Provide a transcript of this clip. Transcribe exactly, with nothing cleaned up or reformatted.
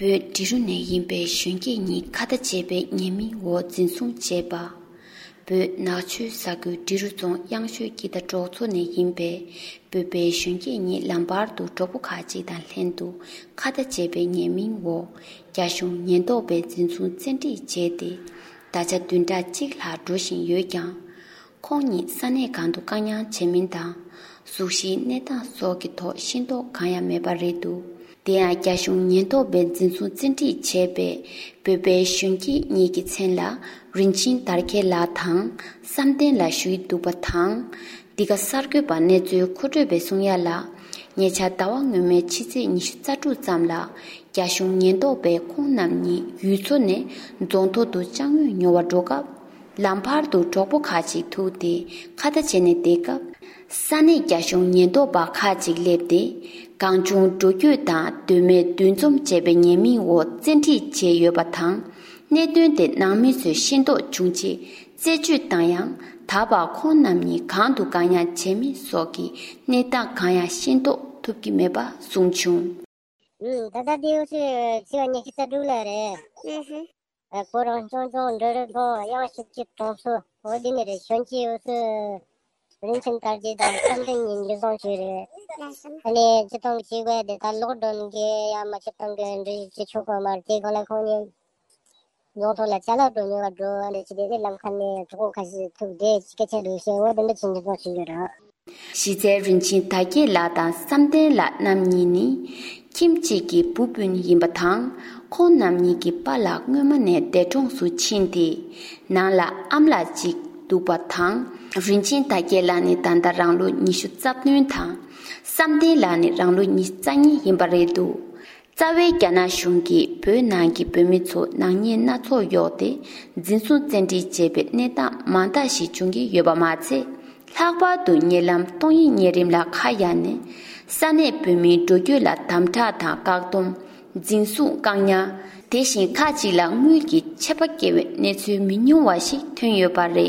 བོད་འབྲི་རུ་ནས་ཡིན་པའི་གཞོན་སྐྱེས་གཉིས་ཁ་བརྡ་བྱས་པའི་ཉེས་མིང་འོག་འཛིན་བཟུང་བྱས་པ། བོད་ནག་ཆུའི་ས་ཁུལ་འབྲི་རུ་རྫོང་གཡང་ཤོད་སྐྱིད་ཟླ་གྲོགས་ཚོ་ནས་ཡིན་པའི་བོད་པའི་གཞོན་སྐྱེས་གཉིས་ལམ་བར་དུ་གྲོགས་པོ་ཁག་ཅིག་དང་ལྷན་དུ་ཁ་བརྡ་བྱས་པའི་ཉེས་མིང་འོག་རྒྱ་གཞུང་ཉེན་རྟོག་པས་འཛིན་བཟུང་བཙན་ཁྲིད་བྱས་ཏེ། ད་ཆ་བདུན་ཕྲག་གཅིག་ལྷག་འགྲོ་བཞིན་ཡོད་ཀྱང་། ཁོང་ཉིད་ས་གནས་གང་དུ་བཀག་ཉར་བྱས་མིན་དང་། གཟུགས་གཞིའི་གནས་སྟངས་སོགས་ཀྱི་ཐོག་ཤེས་རྟོགས་གང་ཡང་མེད་པ་རེད་འདུག་དེ་ཡང་རྒྱ་གཞུང་ཉེན་རྟོག་པས་འཛིན་བཟུང་བཙན་ཁྲིད་བྱས་པའི་བོད་པའི་གཞོན་སྐྱེས་གཉིས་ཀྱི་མཚན་ལ་རིན་ཆེན་དར་རྒྱས་ལགས་དང་བསམ་གཏན་ལགས་ཞུ་ཡི་འདུག་པ་དང་། འདི་ག་གསར་འགོད་པ་གནས་ཚུལ་མཁོ་སྤྲོད་པས་གསུང་ཡ་ལ། ཉེ་ཆར་ཟླ་བ་སྔོན་མའི་ཕྱི་ཚེས་ཉི་ཤུ་རྩ་དྲུག་ཙམ་ལ་རྒྱ་གཞུང་ཉེན་རྟོག་པས་ཁོང་རྣམ་གཉིས་ཡུལ་ཚོ་ནས་རྫོང་ཐོག་ཏུ་ཅ་དངོས་ཉོ་བར་འགྲོ་སྐབས། ལམ་བར་དུ་གྲོགས་པོ་ཁག་ཅིག་ཐུག་སྟེ་ཁ་བརྡ་བྱས་ནས་བསྡད་སྐབས། ས་གནས་རྒྱ་གཞུང་ཉེན་རྟོག་པ་ཁག་ཅིག་སླེབས་ཏེ། གང་བྱུང་འགྲོ་སྐྱོད་དང་དོན་མེད་འདུ་འཛོམས་བྱས་པའི་ཉེས་མིང་འོག་བཙན་ཁྲིད་བྱས་ཡོད་པ་དང་། གནད་དོན་དེ་ནང་མི་ཚོས་ཤེས་རྟོགས་བྱུང་རྗེས་རྩད་གཅོད་བཏང་ཡང་། ད་བར་ཁོང་རྣམ་གཉིས་གང་དུ་བཀག་ཉར་བྱས་མིན་སོགས་ཀྱི་གནས་སྟངས་གང་ཡང་ཤེས་རྟོགས་ཐུབ་ཀྱི་མེད་པ་གསུངས་བྱུང་། ཨུམ། ད་ལྟ་དེའུ་ཚོས་ཚེས་པ་ཉི་ཤུ་རྩ་དྲུག་ལ་རེད། ཨུ་ཧུ། ཨ། ཁོ་རང་ཆུང་ཆུང་འབྲི་རུ་རྫོང་གཡང་ཤོད་སྐྱིད་གྲོགས་ཚོ་འོ་དེ་ནི་རེད། གཞོན་སྐྱེས་འུ་ཚོས་རིན་ཆེན་དར་རྒྱས་དང་བསམ་གཏན་གཉིས་འཛིན་བཟུང་བྱས་རེད། ཨ་ནི་སྤྱི་བཏང་གི་བྱེད་སྒོ་དེ་ད་ལོག་འགྲོ་མཁན་ཡང་མ་སྤྱི་བཏང་གི་འབྲི་རུ་བྱེད་ཆོག་གི་མ་རེད། དེ་སྒང་ལ་ཁོང་གཉིས་རྫོང་ཐོག་ལ་ཅ་ལག་སྒྲོན་ཉོ་བར་འགྲོ་བ་ལས་བྱེད་དེ། ལམ་ཁ་ནས་གྲོགས་པོ་ཁ་ཤས་ཐུག་དེ་སྐད་ཆ་འདྲ་བཤད། འོ་དེ་འདྲ་བྱས་འཛིན་བཟུང་བྱས་ཡོད་རེད། གཞི་རྩའི་རིན་ཆེན་དར་རྒྱས་ལགས་དང་བསམ་གཏན་ལགས་རྣམ་གཉིས་ནི་ཁྱིམ་གཅིག་གི་བུ་སྤུན་ཡིན་པ་དང་། ཁོང་རྣམ་གཉིས་ཀྱི་པཱ་ལགས་སྔོན་མ་ནས་འདས་གྲོངས་སུ་ཕྱིན་ཏེ། ནང་ལ་ཨམ་ལགས་གཅིག་འདུག་པ་དང་། རིན་ཆེན་དར་རྒྱས་ལགས་ནི་ད་ལྟ་རང་ལོ་ཉི་ཤུ་རྩ་བདུན་དང་། བསམ་གཏན་ལགས་ནི་རང་ལོ་ཉི་ཤུ་རྩ་གཉིས་ཡིན་པ་རེད་འདུག་རྩ་བའི་རྒྱ་ནག་གཞུང་གིས་བོད་ནང་གི་བོད་མི་ཚོ་ནག་ཉེས་སྣ་ཚོགས་གཡོགས་ཏེ་འཛིན་བཟུང་བཙན་ཁྲིད་བྱས་པའི་གནས་སྟངས་མང་དག་ཞིག་འབྱུང་གི་ཡོད་པ་མ་ཚད། ལྷག་པར་དུ་ཉེ་ལམ་སྟོང་ཉིད་གཉན་རིམས་ལ་ཁ་གཡར་ནས་ས་གནས་བོད་མིའི་འགྲོ་སྐྱོད་ལ་དམ་དྲག་དང་བཀག་སྡོམ། འཛིན་བཟུང་བཀག་ཉར། དེ་བཞིན་ཁག་ཅིག་ལ་དངུལ་གྱི་ཆད་པ་བཀལ་བའི་གནས་ཚུལ་མི་ཉུང་བ་ཞིག་ཐོན་ཡོད་པ་རེད།